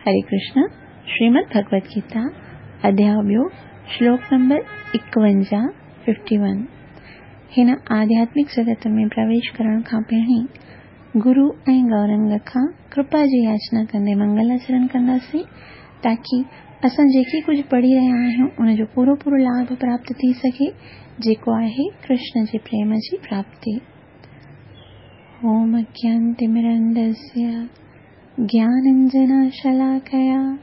हरे कृष्ण, श्रीमद् भगवद गीता, अध्याय ॿियो, श्लोक नंबर 51, 51। हिन आध्यात्मिक जगत में प्रवेश करण खां पहिरीं गुरु ऐं गौरंग खां कृपा जी याचना कंदे मंगलाचरण कंदासीं, ताकी असां जेके कुझु पढ़ी रहिया आहियूं उनजो पूरो पूरो लाभ प्राप्त थी सघे, जेको आहे कृष्ण जे प्रेम जी प्राप्ति। ओम अज्ञानतिमिरन्धस्य ज्ञानाञ्जनशलाकया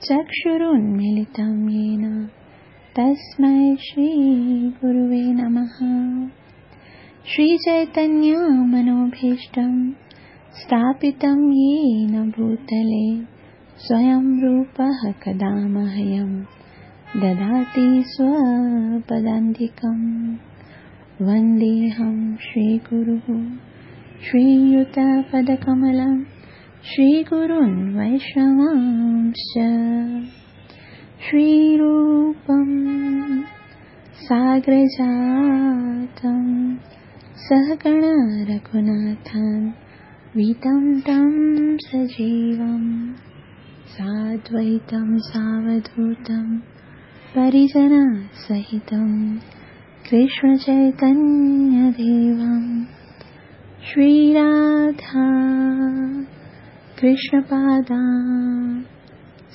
चक्षुरुन्मीलितं येन तस्मै श्रीगुरुवे नमः। श्रीचैतन्यमनोभीष्टं स्थापितं येन भूतले स्वयं रूपः कदा मह्यं ददाति स्वपदान्तिकं। वन्देऽहं श्रीगुरुः श्रीयुतपदकमलं श्रीगुरून् वैष्णवांश्च। श्रीरूपं साग्रजातं सहगण रघुनाथान् वीतं तं सजीवं साद्वैतं सावधूतं परिजनसहितं कृष्णचैतन्यदेवं। श्रीराधा कृष्णपादा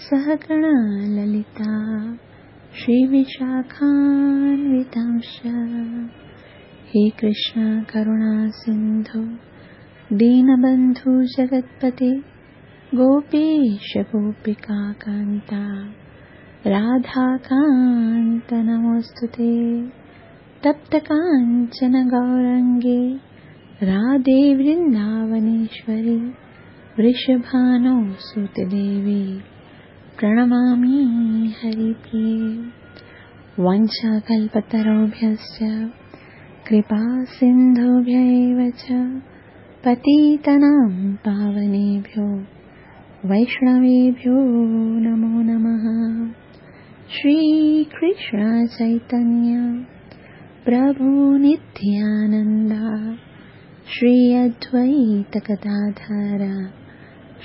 सहगण ललिता श्रीविशाखान्वितांश्च। हे कृष्ण करुणा सिन्धु दीनबन्धु जगत्पते गोपेश गोपिकान्ता राधाकान्त नमोऽस्तु ते। तप्तकाञ्चन गौरङ्गे राधे वृन्दावनेश्वरि वृषभानो सुतदेवी प्रणमामि हरिप्रिये। वाञ्छाकल्पतरुभ्यश्च कृपा सिन्धुभ्य एव च पतितानां पावनेभ्यो वैष्णवेभ्यो नमो नमः। श्रीकृष्ण चैतन्य प्रभु नित्यानन्द श्री अद्वैत गदाधर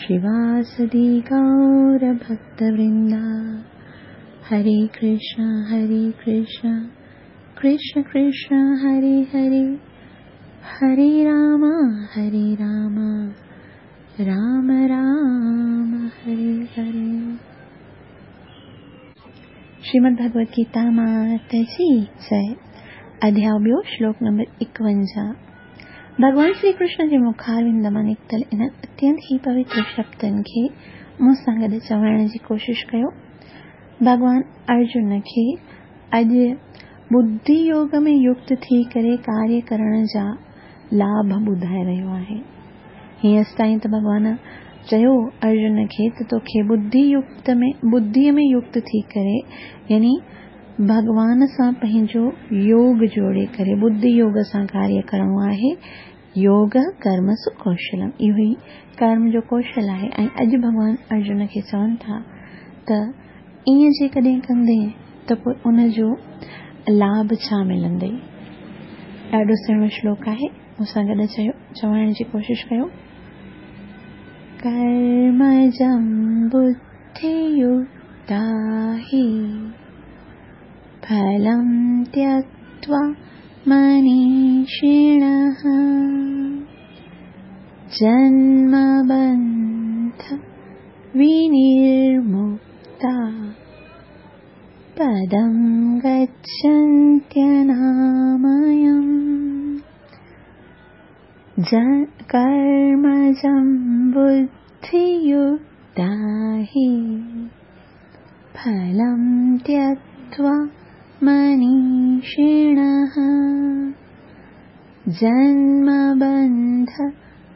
श्रीवासदि गौरभक्तवृन्द। हरे कृष्ण कृष्ण कृष्ण हरे हरे, हरे राम राम राम हरे हरे। श्रीमद् भगवद गीता माता जी जय। अध्याय ॿियो, श्लोक नंबर 51। भॻवान श्री कृष्ण जे मुखारविंद मां निकितल इन्हनि अत्यंत ई पवित्र शब्दनि खे मूं सां गॾु चवण जी कोशिशि कयो। भॻवान अर्जुन खे अॼु बुद्धि योग में युक्त थी करे कार्य करण जा लाभ ॿुधाए रहियो आहे। हींअर ताईं त भॻवान चयो अर्जुन खे त तोखे बुद्धिअ में युक्त थी करे, यानी भॻवान सां पंहिंजो योग जोड़े करे बुद्धि योग सां कार्य करणो आहे। योग कर्म सुकौशलम, इहो ई कर्म जो कौशल आहे। ऐं अॼु भॻवान अर्जुन खे चवनि था त ईअं जेकॾहिं कंदे त पोइ उनजो लाभ छा मिलंदई। ॾाढो सुहिणो श्लोक आहे, मूंसां गॾु चवण जी कोशिशि कयो। कर्मजं बुद्धियुक्ता हि फलं त्यक्त्वा मनीषिणः जन्मबन्ध विनिर्मुक्ता पदं गच्छन्त्यनामयम्। कर्मजं बुद्धियुक्ता हि फलं त्यक्त्वा मनीषिणः जन्मबन्ध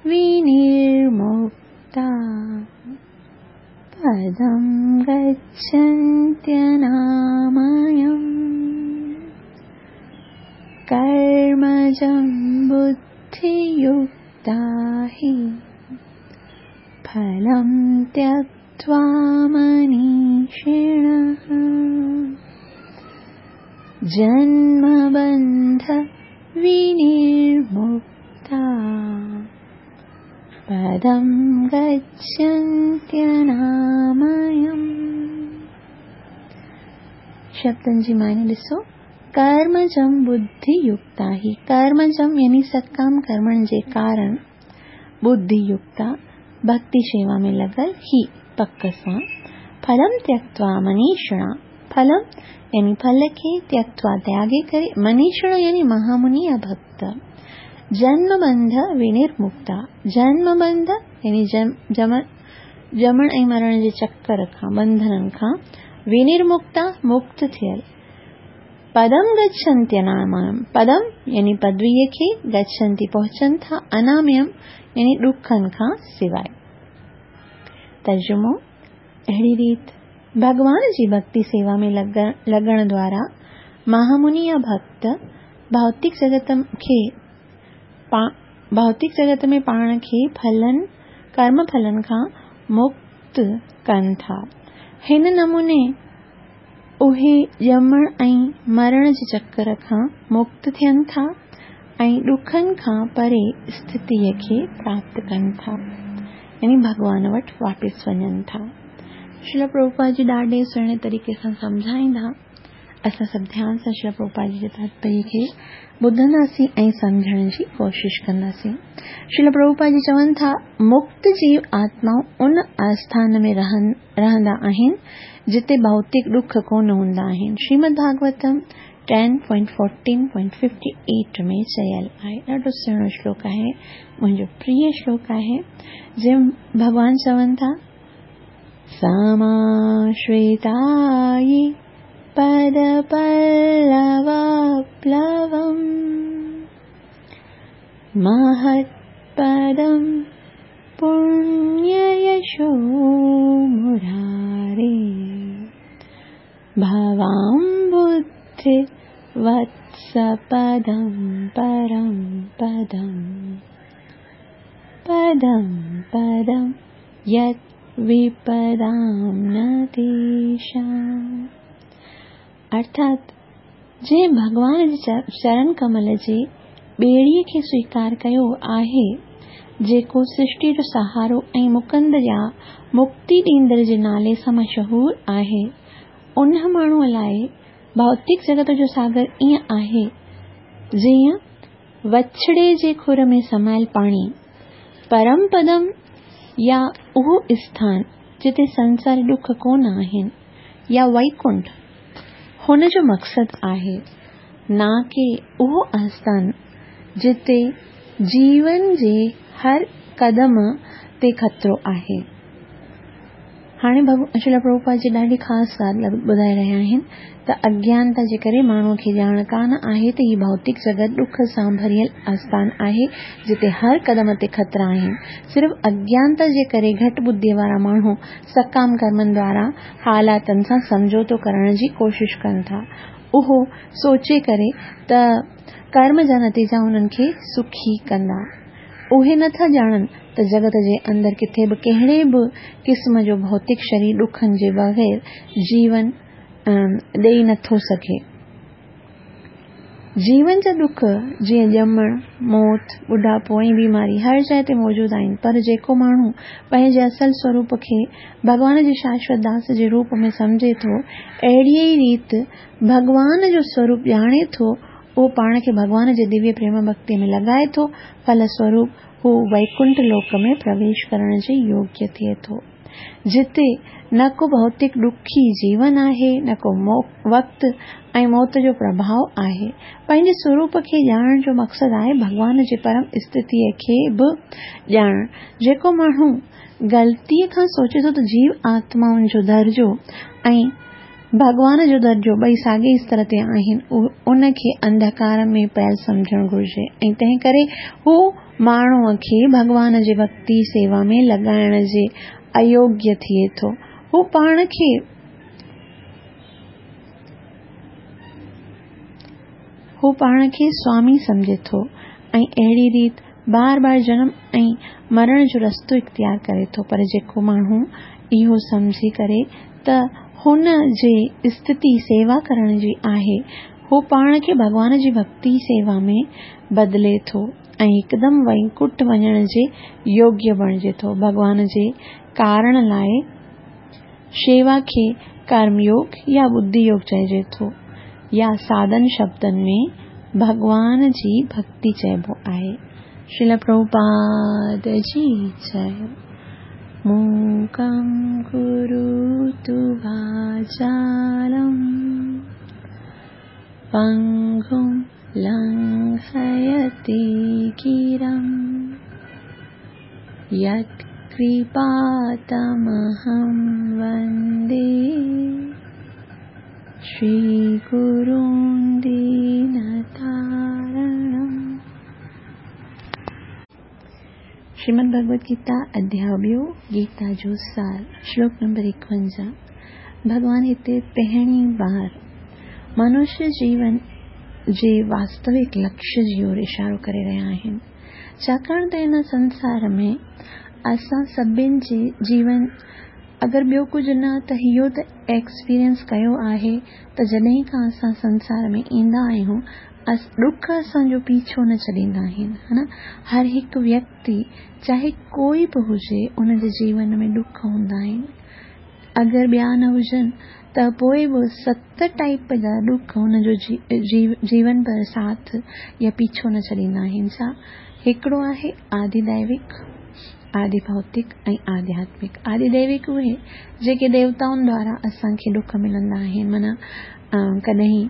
विनिर्मुक्ता पदं गच्छन्त्यनामयम्। कर्मजं बुद्धियुक्ता हि फलं त्यक्त्वा मनीषिणः जन्मबन्ध विनिर्मुक्ता पदं गच्छन्त्यनामयम्। शब्दनि जी माने ॾिसो, कर्मजम बुद्धि युक्ता ही। कर्मजम यानी सकाम कर्मनि जे कारण, बुद्धि युक्ता भक्ति शेवा में लॻल, ही पक सां, फलम त्यक्त्वा मनीषिणा, फलम यानी फल खे, त्यक्त्वा त्यागे करे, मनीषिण यानी महामुनि या भक्त, जन्म बंध विनिर्मुक्ता, जन्म बंध यानी ॼमण ऐं मरण जे चक्कर खां, बंधननि खां, विनिर्मुक्ता मुक्त थियल, पदम गच्छन्ति अनामयम, पदम यानी पदवीअ खे, गच्छन्ति पहुचनि था, अनामयम यानी ॾुखनि खां सिवाइ। तर्जुमो, अहिड़ी रीत भॻवान जी भक्ति सेवा में लॻण द्वारा महामुनि या भक्त भौतिक जगत में पाण खे फलनि, कर्म फलनि खां मुक्त कनि था। हिन नमूने उहे ॼमण ऐं मरण जे चक्कर खां मुक्त थियनि था ऐं ॾुखनि खां परे स्थितीअ खे प्राप्त कनि था, यानी भॻवान वटि वापसि वञनि था। श्रील प्रभुपाद जी ॾाढे सुहिणे तरीक़े सां सम्झाईंदा। असां सभु ध्यान सां श्रील प्रभुपाद जी जे तात्पर्य खे ॿुधंदासीं ऐं सम्झण जी कोशिश कंदासीं। श्रील प्रभुपाद जी चवनि था, मुक्त जीव आत्माऊं उन आस्थान में रहंदा आहिनि जिते भौतिक ॾुख कोन हूंदा आहिनि। श्रीमद् भागवतम 10.14.58 में चयल आहे। ॾाढो सुहिणो श्लोक आहे, मुंहिंजो प्रिय श्लोक आहे, जंहिं भॻवान चवनि था, समाश्रितायि पदपल्लवप्लवम् महत्पदं पुण्ययशो मुरारे भवाम्बुद्धि वत्सपदं परं पदं पदं पदं यत् विपदां न तेषाम्। अर्थात जंहिं भॻवान जे चरण कमल जे ॿेड़ीअ खे स्वीकार कयो आहे, जेको सृष्टि जो सहारो ऐं मुकंद या मुक्ति ॾींदड़ जे नाले सां मशहूर आहे, उन माण्हूअ लाइ भौतिक जगत जो सागर ईअं आहे जीअं वछड़े जे खुर में समायल पाणी। परम पदम या उहो स्थान जिते संसारी ॾुख कोन आहिनि या वैकुंठ हुन जो मक़सदु आहे, न की उहो आस्थान जिते जीवन जे हर कदम ते ख़तरो आहे। हाणे श्रील प्रभुपाद जी ॾाढी ख़ासि ॻाल्हि ॿुधाए रहिया आहिनि त अज्ञानता जे करे माण्हूअ खे ॼाण कान आहे त हीउ भौतिक जगत ॾुख सां भरियल आस्थान आहे जिते हर कदम ते ख़तरा आहिनि। सिर्फ़ु अज्ञानता जे करे घटि बुद्धीअ वारा माण्हू सकाम कर्मनि द्वारा हालातनि सां सम्झौतो करण जी कोशिश कनि था, उहो सोचे करे त कर्म जा नतीजा हुननि खे सुखी कंदा। उहे नथा ॼाणनि त जगत जे अंदरि किथे बि कहिड़े बि क़िस्म जो भौतिक शरीर ॾुखनि जे बग़ैर जीवन ॾेई नथो सघे। जीवन जा ॾुख जीअं ॼमण, मौत, ॿुढापो ऐं बीमारी हर जाइ ते मौजूदु आहिनि, पर जेको माण्हू पंहिंजे असल स्वरूप खे भॻवान जे शाश्वत दास जे रूप में सम्झे थो, अहिड़ीअ ई रीति भॻवान जो स्वरूप ॼाणे थो, उहो पाण खे भॻवान जे दिव्य प्रेम भक्ति में लॻाए थो, फलस्वरूप हू वैकुंठ लोक में प्रवेश करण जे योग्य थिए थो, जिते न को भौतिक ॾुखी जीवन आहे, न को वक़्तु ऐं मौत जो प्रभाव आहे। पंहिंजे स्वरूप खे ॼाणण जो मक़सदु आहे भॻवान जे परम स्थितीअ खे बि ॼाणणु। जेको माण्हू ग़लतीअ खां सोचे थो त जीव आत्माउनि जो दर्जो ऐं भॻवान जो दर्जो ॿई साॻे स्तर ते आहिनि, उनखे अंधकार में पयल सम्झणु घुरिजे ऐं तंहिं करे हू माण्हूअ खे भॻवान जे भक्ति सेवा में लॻाइण जे अयोग्य थिए थो। हू पाण खे स्वामी सम्झे थो ऐं अहिड़ी रीति बार बार जनम ऐं मरण जो रस्तो इख़्तियार करे थो। पर जेको माण्हू इहो सम्झी करे त हुन जे स्थिति सेवा करण जी आहे, हू पाण खे भॻवान जी भक्ति सेवा में बदिले थो ऐं हिकदमि वैकुंठ वञण जे योग्य बणिजे थो। भॻवान जे कारण लाइ شيوا کي ڪرم يوگ يا ٻڌي يوگ چئجي ٿو يا سادن شبدن ۾ ڀڳوان جي ڀڳتي چئبو آهي. شريل پرڀوپاد جي جئي. موڪم ڪروتु واچالم پنگم لنگهيتي گرم يت ڪرپا تمهم وندي شري گرون دينتارڻم. شريمد ڀڳوت گيتا اڌياء ٻيو، گيتا جو سار، شلوڪ نمبر 51. ڀڳوان هتي پهرين بار منشيه جيون جي واستوڪ لڪشيه جي اور اشارو ڪري رهيا آهن. ڇاڪاڻ ته هن سنسار ۾ اسان سڀن جي جيون اگر ٻيو ڪجهه نه ته اهو ته ايڪسپيرينس ڪيو آهي ته جڏهن کان اسان سنسار ۾ ايندا آهيون ڏک اسان جو پيڇو نه ڇڏيندا آهن ها نه. هر هڪ ويڪتي چاهي ڪوئي به هجي ان جي جيون ۾ ڏک هوندا آهن. اگر ٻيا نه هجن ته پوء به 7 ٽائيپ جا ڏک هن جو جيون ڀر ساٿ يا پيڇو نه ڇڏيندا آهن. ڇا هڪڙو آهي آدي ديوڪ، آدي ڀوتڪ ۽ آڌياتمڪ. آدي ديوڪ اهي جيڪي ديوتائن دوارا اسان کي ڏک ملندا آهن، معنيٰ ڪڏهن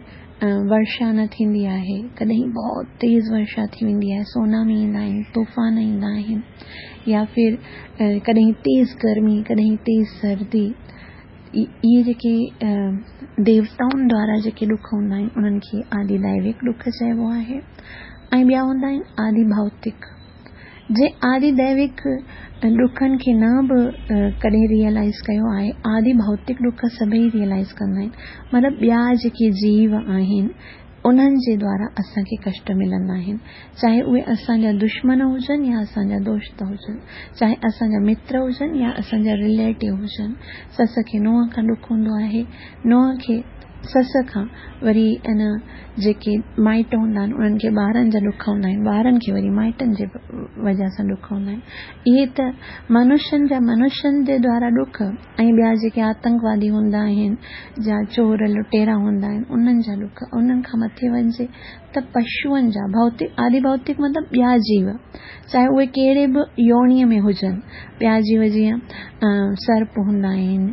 ورشا نه ٿيندي آهي، ڪڏهن بهت تيز ورشا ٿي ويندي آهي، سونامي ايندا آهن، طوفان ايندا آهن، يا ڦر ڪڏهن تيز گرمي، ڪڏهن تيز سردي. اهي جيڪي ديوتائن دوارا جيڪي ڏک هوندا آهن انهن کي آدي ديوڪ ڏک چئبو آهي. ۽ ٻيا هوندا آهن آدي ڀوتڪ. جي آدي ديوڪ ڏکن کي نه به ڪڏهن ريئلائز ڪيو آهي، آدي ڀوتڪ ڏک سڀئي ريئلائز ڪندا آهن. مطلب ٻيا جيڪي جيو آهن انهن جي دوارا اسان کي ڪشٽ ملندا آهن، چاهي اهي اسان جا دشمن هجن يا اسان جا دوست هجن، چاهي اسان جا متر هجن يا اسان جا رليٽو هجن. سس کي نونهن کان ڏک هوندو آهي، نونهن کي سس کان، وري ان جيڪي مائٽ هوندا آهن انهن کي ٻارن جا ڏک هوندا آهن، ٻارن کي وري مائٽن جي وجهه سان ڏک هوندا آهن. اهي ته منشين جا منشين جي دوارا ڏک ۽ ٻيا جيڪي آتنڪوادي هوندا آهن يا چور لٽيرا هوندا آهن انهن جا ڏک. انهن کان مٿي وڃجي ته پشوئن جا، ڀوتڪ، آدي ڀوتڪ مطلب ٻيا جيو، چاهي اهي ڪهڙي به يونيء ۾ هجن، ٻيا جيو جيئن سرپ هوندا آهن،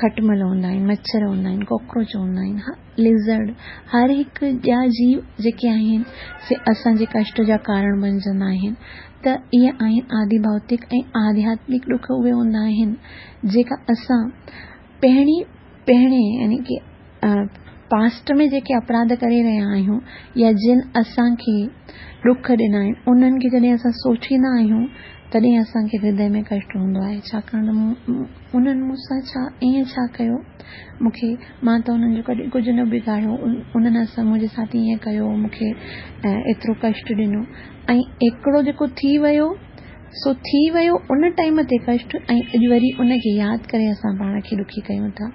کٽمل هوندا آهن، مڇر هوندا آهن، ڪاڪروچ هوندا آهن، لزرڊ، هر هڪ ٻيا جيو جيڪي آهن سي اسان جي ڪشٽ جا ڪارڻ بنجندا آهن. ته اهي آهن آدي ڀوتڪ ۽ آڌياتمڪ ڏک اهي هوندا آهن جيڪا اسان پهرين پهرين يعني ڪي پاسٽ ۾ جيڪي اپراڌ ڪري رهيا آهيون يا جن اسان کي ڏک ڏنا آهن انهن کي جڏهن اسان سوچيندا آهيون تڏهن اسان کي هردي ۾ ڪشٽ هوندو آهي، ڇاڪاڻ ته انهن مون سان ڇا ائين ڇا ڪيو، مون کي مان ته انهن جو ڪڏهن ڪجهه نه بگاڙيو، انهن اسان منهنجي ساٿ ائين ڪيو، مون کي ايترو ڪشٽ ڏنو. ۽ هڪڙو جيڪو ٿي ويو سو ٿي ويو ان ٽائيم تي ڪشٽ ۽ اڄ وري ان کي ياد ڪري اسان پاڻ کي ڏکي ڪيون ٿا.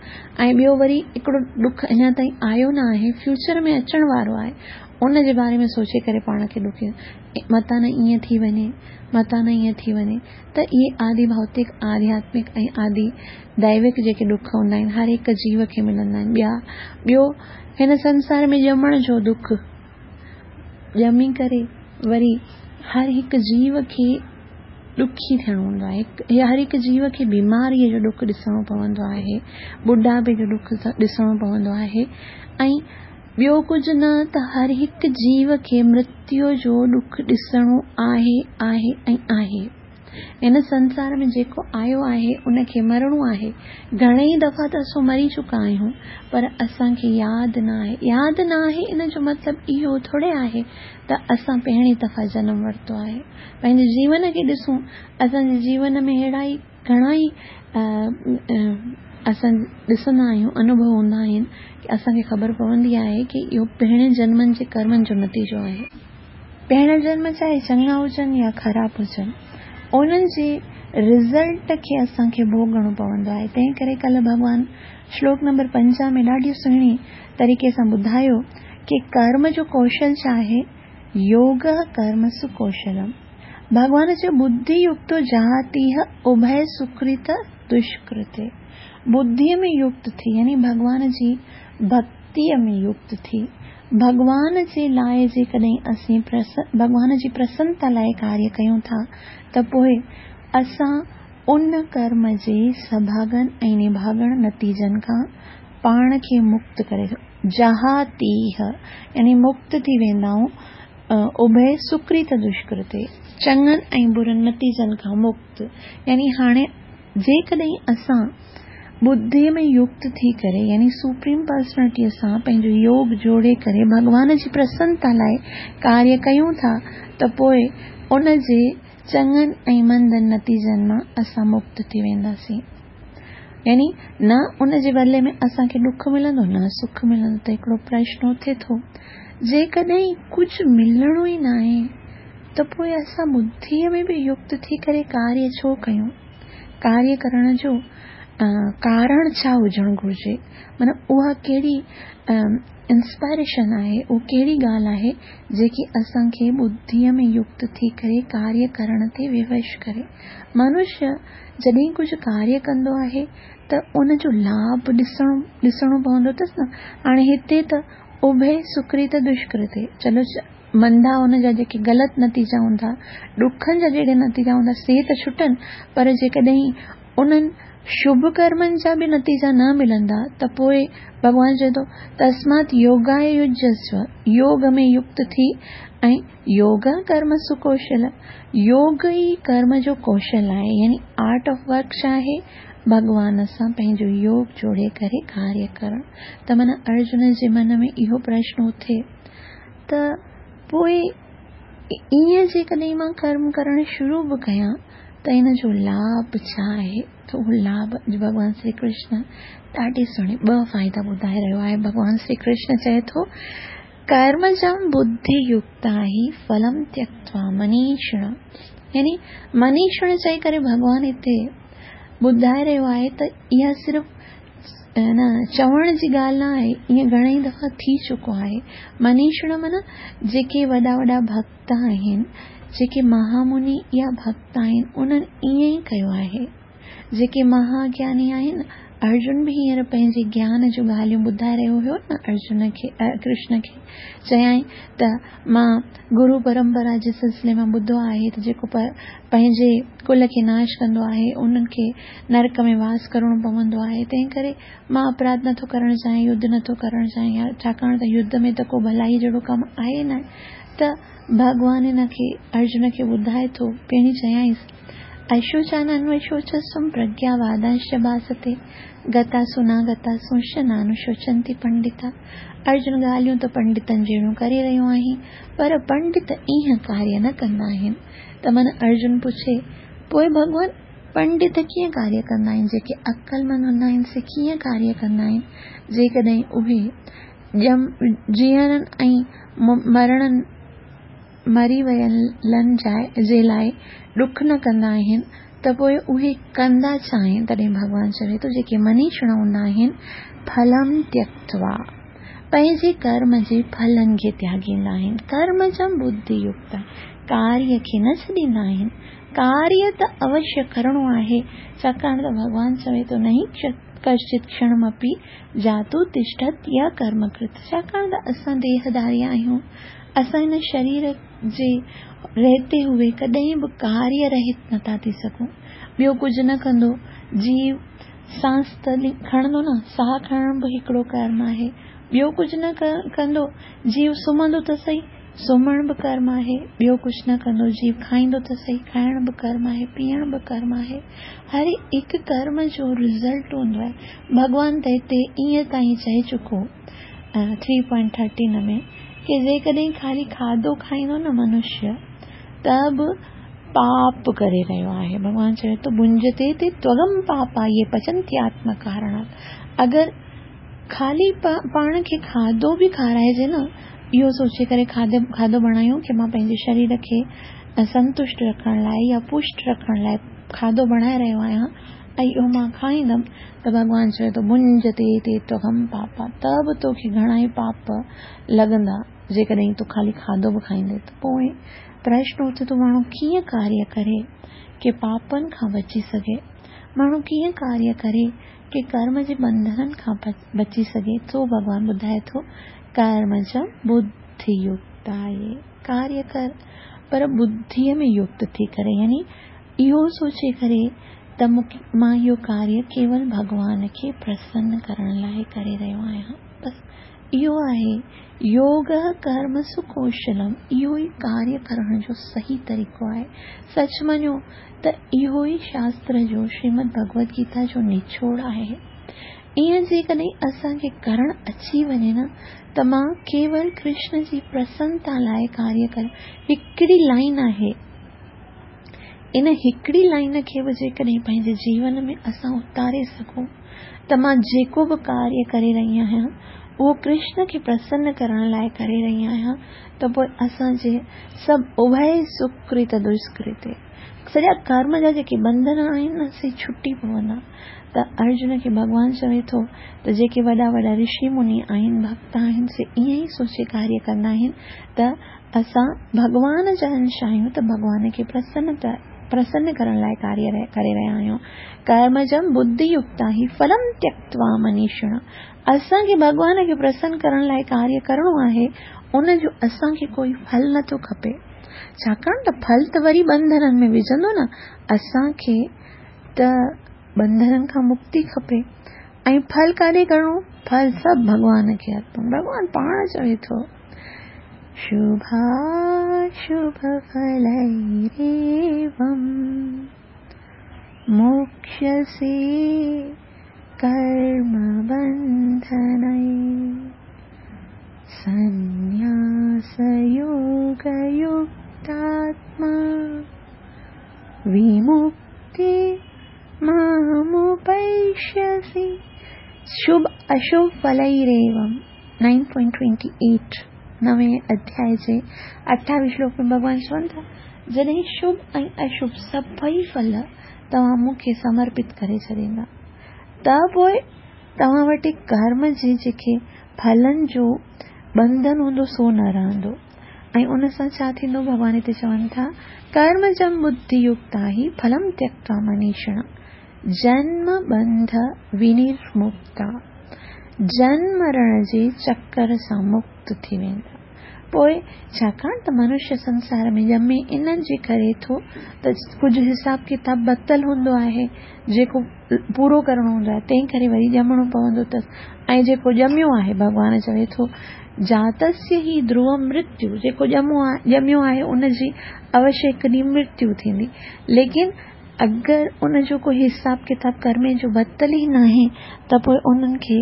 ۽ ٻيو وري هڪڙو ڏک اڃا تائين آيو نه آهي، فيوچر ۾ اچڻ وارو آهي، ان جي باري ۾ سوچي ڪري پاڻ کي ڏکي، متان نه ائين ٿي وڃي، متان نه ائين ٿي وڃي. ته اهي آدي ڀوتڪ، آڌياتمڪ ۽ آدي ديوڪ جيڪي ڏک هوندا آهن هر هڪ جيو کي ملندا آهن. ٻيو هن سنسار ۾ ڄمڻ جو ڏک، ڄمي ڪري وري هر هڪ جيو کي ڏکي ٿيڻو هوندو آهي، هر هڪ جيو کي بيماريء جو ڏک ڏسڻو پوندو آهي، ٻڍاپي جو ڏک ڏسڻو پوندو آهي ۽ ٻيو ڪجهه نه ته هر هڪ جيو کي مرتيو جو ڏک ڏسڻو آهي، آهي ۽ آهي. هن سنسار ۾ جيڪو آيو آهي ان کي مرڻو آهي. گهڻيئي دفعا ته اسون مري چڪا آهيون پر اسان کي ياد نه آهي. ياد نه آهي ان جو مطلب اهو ٿوري آهي ته اسان پهرين دفعا جنم ورتو آهي. پنهنجي جيون کي ڏسون، اسان جي جيون ۾ اهڙا ئي گهڻا ئي اسان ڏسندا آهيون، انوڀو هوندا آهن ڪي اسان کي خبر پوندي آهي ڪي اهو پهرين جنمن جي ڪرمن جو نتيجو آهي. پهريان جنم چاهي چڱا هجن يا خراب هجن، انهن جي رزلٽ کي اسان کي ڀوڳڻو پوندو آهي. تنهن ڪري ڪلهه ڀڳوان شلوڪ نمبر 50 ۾ ڏاڍي سهڻي طريقي سان ٻڌايو ڪي ڪرم جو ڪوشل ڇا آهي؟ يوگه ڪرمسو ڪوشلم. ڀڳوان چيو ٻڌي يڪتو جهاتيهه اڀي سڪرت دشڪرتي. ٻڌيء ۾ يڪت ٿي يعني ڀڳوان جي ڀڳتيء ۾ يڪت ٿي ڀڳوان جي لاء جيڪڏهن اسين ڀڳوان جي پرسنتا لاء ڪاريه ڪيون ٿا ته پوء اسان ان ڪرم جي سڀاڳن ۽ نڀاڳڻ نتيجن کان پاڻ کي مڪت ڪري جهاتيهه يعني مڪت ٿي ويندا آهيون اڀي سڪرت دشڪرتي چڱن ۽ برن نتيجن کان مڪت يعني هاڻي جيڪڏهن اسان ٻڌيء ۾ يڪت ٿي ڪري يعني سپريم پرسنلٽيء سان پنهنجو يوگ جوڙي ڪري ڀڳوان جي پرسنتا لاء ڪاريه ڪيون ٿا ته پوء ان جي چڱن ۽ مندن نتيجن مان اسان مڪت ٿي وينداسين. يعني نه ان جي بدلي ۾ اسان کي ڏک ملندو نه سک ملندو ته هڪڙو پرشن اٿي ٿو جيڪڏهن ڪجهه ملڻو ئي ناهي ته پوء اسان ٻڌيء ۾ به يڪت ٿي ڪري ڪاريه ڇو ڪيون؟ ڪاريه ڪرڻ جو ڪارڻ ڇا هجڻ گهرجي؟ معنيٰ اها ڪهڙي انسپائريشن آهي، اها ڪهڙي ڳالهه آهي جيڪي اسان کي ٻڌيء ۾ يڪت ٿي ڪري ڪاريه ڪرڻ تي ووش ڪري؟ منشيه جڏهن ڪجهه ڪاريه ڪندو آهي ته ان جو لاڀ ڏسڻو ڏسڻو پوندو اٿس نه. هاڻي هتي ته اڀي سڪرت دشڪرتي چلو مندا ان جا جيڪي غلط نتيجا هوندا، ڏکن جا جهڙي نتيجا هوندا سي ته ڇٽن پر جيڪڏهن انهن شڀ ڪرمن جا به نتيجا نه ملندا ته پوء ڀڳوان چئي ٿو تسمات يوگاي يجزسو يوگ ۾ يڪت ٿي ۽ يوگ ڪرم سڪوشل يوگ ئي ڪرم جو ڪوشل آهي يعني آرٽ آف ورڪ ڇا آهي ڀڳوان سان پنهنجو يوگ جوڙي ڪري ڪاريه ڪرڻ ته معنيٰ ارجن جي من ۾ اهو پرشن اٿي ته پوء ائين جيڪڏهن مان ڪرم ڪرڻ شروع به ڪيان ته ان جو لاڀ ڇا آهي ته اهو لاڀ اڄ ڀڳوان شري ڪرشن ڏاڍي سهڻي ٻه فائدا ٻڌائي رهيو آهي ڀڳوان شري ڪرشن چئي ٿو ڪرمجم ٻڌي يڪتا هي ڦلم تيڪتوا منيشڻ يعني منيشڻ چئي ڪري ڀڳوان هتي ٻڌائي رهيو آهي ته اها صرف نه چوڻ جي ڳالهه نه آهي ائين گهڻي ئي دفعا ٿي چڪو آهي منيشڻ معنيٰ جيڪي وڏا وڏا ڀڳت آهن جيڪي مهامني يا ڀڳت آهن انهن ائين ئي ڪيو آهي جيڪي مها گياني آهن ارجن به هينئر پنهنجي گيان جون ڳالهيون ٻڌائي رهيو هيو نه ارجن کي ڪرشن کي چيائين ته مان گرو پرمپرا جي سلسلي مان ٻڌو آهي ته جيڪو پنهنجي ڪل کي ناش ڪندو آهي انهن کي نرڪ ۾ واس ڪرڻو پوندو آهي تنهن ڪري مان اپراڌ نٿو ڪرڻ چاهيان يڌ نٿو ڪرڻ چاهيان ڇاڪاڻ ته يڌ ۾ ته ڪو ڀلائي جهڙو ڪم آهي نه ته ڀڳوان هن کي ارجن کي ٻڌائي ٿو پهرين چيائينس اشوچان انوشوچسم پرگيا وادانش ڀاستي گتاسو ناگتاسونش نانوشوچنتي پنڊتا ارجن ڳالهيون ته پنڊتن جهڙيون ڪري رهيو آهين پر پنڊت ايئن ڪاريه نه ڪندا آهن ته من ارجن پڇي پوء ڀڳوان پنڊت ڪيئن ڪاريه ڪندا آهن جيڪي عقلمند هوندا آهن سي ڪيئن ڪاريه ڪندا آهن جيڪڏهن اهي ڄم جيئرن ۽ مرڻن مري ويلن جي لاء ڏک نه ڪندا آهن ته پوء اهي ڪندا ڇا آهن؟ تڏهن ڀڳوان چوي ٿو جيڪي منيشڻ هوندا آهن ڦلم تيڪتوا پنهنجي ڪرم جي ڦلن کي تياڳيندا آهن ڪرمجم ٻڌي يڪت ڪاريه کي نه ڇڏيندا آهن ڪاريه ته اوشيه ڪرڻو آهي ڇاڪاڻ ته ڀڳوان چوي ٿو نهي ڪشچت ڪشڻمپي جاتو تشٺت يا ڪرم ڪرت ڇاڪاڻ ته اسان ديهڌاري آهيون اسان هن شرير جي رهتي هوئي ڪڏهن به ڪاريه رهت نٿا ٿي سگهون. ٻيو ڪجهه نه ڪندو جيو سانس ته کڻندو نه، ساهه کڻڻ به هڪڙو ڪرم آهي. ٻيو ڪجهه نه ڪندو جيو سمهندو ته سهي، سمهڻ به ڪرم آهي. ٻيو ڪجهه نه ڪندو جيو کائيندو ته سهي، کائڻ به ڪرم آهي، پيئڻ به ڪرم آهي. هر هڪ ڪرم جو رزلٽ هوندو آهي. ڀڳوان ته هتي ائين تائين چئي چڪو. ٿري پوائنٽ ٿرٽين ۾ ڪي جيڪڏهن خالي کاڌو کائيندو نه منشيه ته به پاپ ڪري رهيو آهي ڀڳوان چوي ٿو ڀنجتي تي تغم پاپا يي پچنتي آتم ڪارڻات اگر خالي پاڻ کي کاڌو به کارائجي نه اهو سوچي ڪري کاڌو کاڌو بڻايون ڪي مان پنهنجي شرير کي سنتشٽ رکڻ لاء يا پشٽ رکڻ لاء کاڌو بڻائي رهيو آهيان ۽ اهو مان کائيندم ته ڀڳوان چوي ٿو ڀنجتي تي تغم پاپا ته به توکي گهڻا ئي پاپ لڳندا جيڪڏهن تون خالي کاڌو به کائيندين ته پوء پرشن اٿي ٿو ماڻهو ڪيئن ڪاريه ڪري ڪي پاپن کان بچي سگهي ماڻهو ڪيئن ڪاريه ڪري ڪي ڪه ڪرم جي ٻنڌنن کان بچي سگهي سو ڀڳوان ٻڌائي ٿو ڪرمجم ٻڌي يڪت آهي ڪاريه ڪر پر ٻڌيء ۾ يڪت ٿي ڪري يعني اهو سوچي ڪري ته مان اهو ڪاريه ڪيول ڀڳوان کي پرسن ڪرڻ لاء ڪري رهيو آهيان. بس اهو آهي يوگ ڪرمسو ڪوشلم، اهو ئي ڪاريه ڪرڻ جو صحيح طريقو آهي. سچ مڃو ته اهو ئي شاستر جو شريمد ڀڳوت گيتا جو نچوڙ آهي. ائين جيڪڏهن اسان کي ڪرڻ اچي وڃي نه ته مان ڪيول ڪرشن جي پرسنتا لاء ڪاريه ڪريان، هڪڙي لائين آهي. ان هڪڙي لائين کي به جيڪڏهن پنهنجي جيون ۾ اسان اتاري سگهون ته مان جيڪو به ڪاريه ڪري رهي آهيان اهو ڪرشن کي پرسن ڪرڻ لاء ڪري رهي آهيان ته پوء اسان جي سڀ اڀي سڪرت دشڪرت سڄا ڪرم جا جيڪي ٻنڌن آهن نه سي ڇٽي پوندا. ته ارجن کي ڀڳوان چوي ٿو ته جيڪي وڏا وڏا رشي مني آهن ڀڳت آهن سي ائين ئي سوچي ڪاريه ڪندا آهن ته اسان ڀڳوان جا انش آهيون ته ڀڳوان کي پرسن ڪرڻ لاء ڪاريه ڪري رهيا آهيون. ڪرمجم ٻڌي يڪتا هي ڦلم تيڪتوا منيشڻ اسان کي ڀڳوان کي پرسن ڪرڻ لاء ڪاريه ڪرڻو آهي ان جو اسان کي ڪوئي ڦل نه ٿو کپي ڇاڪاڻ ته ڦل ته وري ٻنڌنن ۾ وجهندو نه اسان کي ته ٻنڌنن کان مڪتي کپي ۽ ڦل ڪاڏي ڪرڻو ڦل سڀ ڀڳوان کي ارپڻ ڀڳوان پاڻ چوي ٿو شڀاشڀ ڦليريوم موڪشسي ڪرم بنڌنئي سنياس يوگ يڪتاتما ومڪتي مامپيشسي شڀ اشڀ ڦليريوم 9.28 نوين اڌياء جي اٺاويهه شلوڪ ۾ ڀڳوان چون ٿا، جڏهن شڀ ۽ اشڀ سڀئي ڦل توهان مون کي سمرپت ڪري ڇڏيندا ته پوء توهان وٽ ڪرم جي جيڪي ڦلن جو ٻنڌن هوندو سو نه رهندو ۽ ان سان ڇا ٿيندو؟ ڀڳوان هتي چون ٿا، ڪرمجم ٻڌي يڪتا هي ڦلم تيڪتوا منيشڻ جنم ٻنڌ ونرمڪتا، جنم مرڻ جي چڪر سان مڪت ٿي ويندا. پوء ڇاڪاڻ ته منشيه سنسار ۾ ڄمي ان جي ڪري ٿو ته ڪجهه حساب ڪتاب بتل هوندو آهي جيڪو پورو ڪرڻو هوندو آهي تنهن ڪري وري ڄمڻو پوندو اٿس ۽ جيڪو ڄميو آهي ڀڳوان چوي ٿو جاتسيه هي ڌروم مرتيو جيڪو ڄميو آهي ان جي اوشيه هڪ ڏينهن مرتيو ٿيندي ليڪن اگر ان جو ڪو حساب ڪتاب ڪرمي جو بتل ئي ناهي ته پوء انهن کي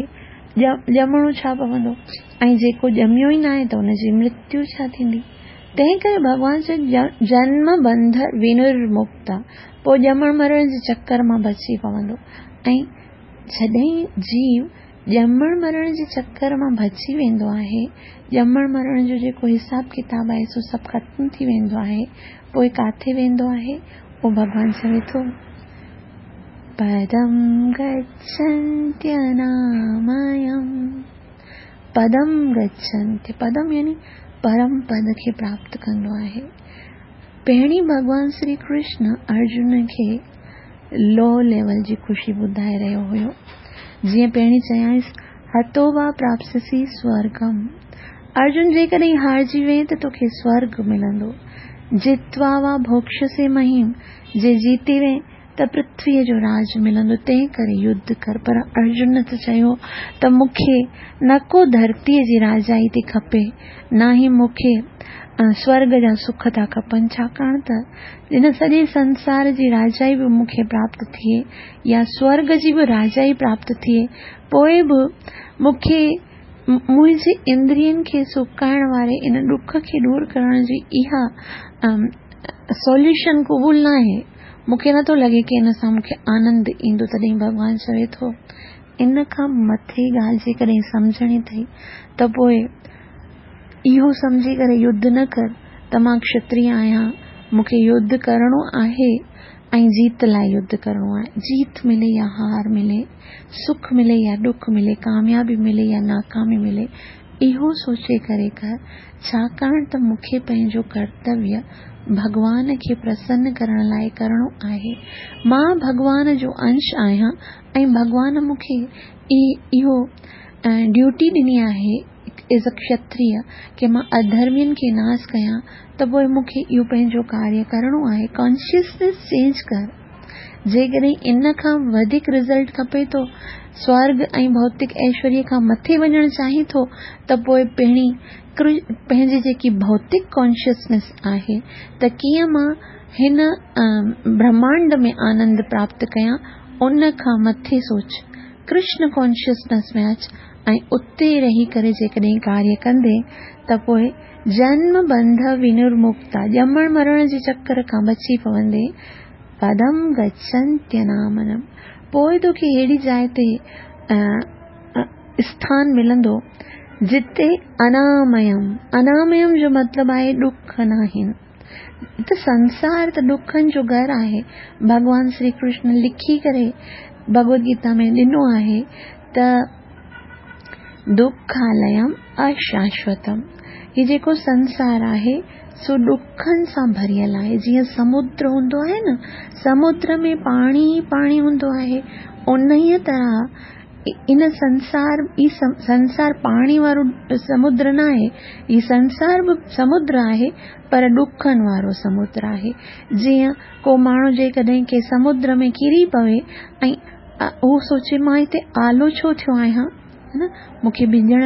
ڄمڻو ڇا پوندو ۽ جيڪو ڄميو ئي ناهي ته ان جي مرتيو ڇا ٿيندي؟ تنهن ڪري ڀڳوان چيو جنم بنڌ ونرمڪتا پوء ڄمڻ مرڻ جي چڪر مان بچي پوندو ۽ جڏهن جيو ڄمڻ مرڻ جي چڪر مان بچي ويندو آهي، ڄمڻ مرڻ جو جيڪو حساب ڪتاب آهي سو سڀ ختم ٿي ويندو آهي، پوء ڪاٿي ويندو آهي؟ اهو ڀڳوان چوي ٿو، پدم گڇنتيناميم، پدم گڇنتي، پدم يعني پرم پد کي پراپت ڪندو آهي. پهرين ڀڳوان شري ڪرشن ارجن کي لو ليول جي خوشي ٻڌائي رهيو هيو. جيئن پهرين چيائينس، هتو وا پراپسسي سورگم. ارجن جيڪڏهن هارجي وئين ته توکي سورگ ملندو. جتوا وا ڀوڪشسي مهيم، جي جيتي وئين ته پرٿويء جو راڄ ملندو، تنهن ڪري يڌ ڪر. پر ارجن ته چيو ته مون کي نه ڪو ڌرتيء جي راجائي ٿي کپي، نه ئي مون کي سورڳ جا سک ٿا کپن، ڇاڪاڻ ته ان سڄي سنسار جي راجائي به مون کي پراپت ٿئي يا سورڳ جي به راجائي پراپت ٿئي، پوء به مون کي منهنجي اندرين کي سڪائڻ واري ان ڏک کي ڏور ڪرڻ جي اها سوليوشن قبول ناهي. مون کي نٿو لڳي ڪي ان سان مون کي آنند ايندو. تڏهن ڀڳوان چوي ٿو، ان کان مٿي ڳالهه جيڪڏهن سمجهڻي اٿئي ته پوء اهو سمجهي ڪري يڌ نه ڪر ته مان کشتري آهيان، مون کي يڌ ڪرڻو آهي ۽ جيت لاء يڌ ڪرڻو آهي. جيت ملي يا هار ملي، سک ملي يا ڏک ملي، ڪاميابي ملي يا ناڪامي ملي، اهو سوچي ڪري ڪر، ڇاڪاڻ ته مون کي پنهنجو ڪرتويه ڀڳوان کي پرسن ڪرڻ لاء ڪرڻو آهي. مان ڀڳوان جو انش آهيان ۽ ڀڳوان مون کي اهو ڊيوٽي ڏني آهي ايز ا ڪشتريه ڪي مان اڌرمين کي ناس ڪيان ته پوء مون کي اهو پنهنجو ڪاريه ڪرڻو آهي. ڪانشسنيس چينج ڪر. جيڪڏهن ان کان وڌيڪ رزلٽ کپي ٿو، سورڳ ۽ ڀوتڪ ايشوريه کان مٿي وڃڻ چاهين ٿو ته پوء پهرين پنهنجي جيڪي ڀوتڪ ڪانشسنيس آهي ته ڪيئن مان هن برهمانڊ ۾ آنند پراپت ڪيان ان کان مٿي سوچ. ڪرشن ڪانشسنيس ۾ اچ ۽ اتي رهي ڪري جيڪڏهن ڪاريه ڪندين ته پوء جنم بنڌ ونرمڪتا، ڄمڻ مرڻ جي چڪر کان بچي پوندين، پدم گڇنتينامنم، پوء توکي اهڙي جاء تي اسٿان ملندو جتي اناميم، اناميم جو مطلب آهي ڏک ناهن. ته سنسار ته ڏکن جو گهر آهي. ڀڳوان شري ڪرشن لکي ڪري ڀڳوت گيتا ۾ ڏنو آهي ته دکاليم اشاشوتم، هي جيڪو سنسار آهي سو ڏکن سان ڀريل آهي. جيئن سمنڊ هوندو آهي نه، سمنڊ ۾ پاڻي ئي پاڻي هوندو آهي، انهيء طرح ان سنسار، هي سنسار پاڻي وارو سمنڊ نه آهي، هي سنسار به سمنڊ آهي پر ڏکن وارو سمنڊ آهي. جيئن ڪو ماڻهو جيڪڏهن ڪنهن سمنڊ ۾ ڪري پوي ۽ هو سوچي مان هتي آلو ڇو ٿيو آهيان، نه مون کي ڀڄڻ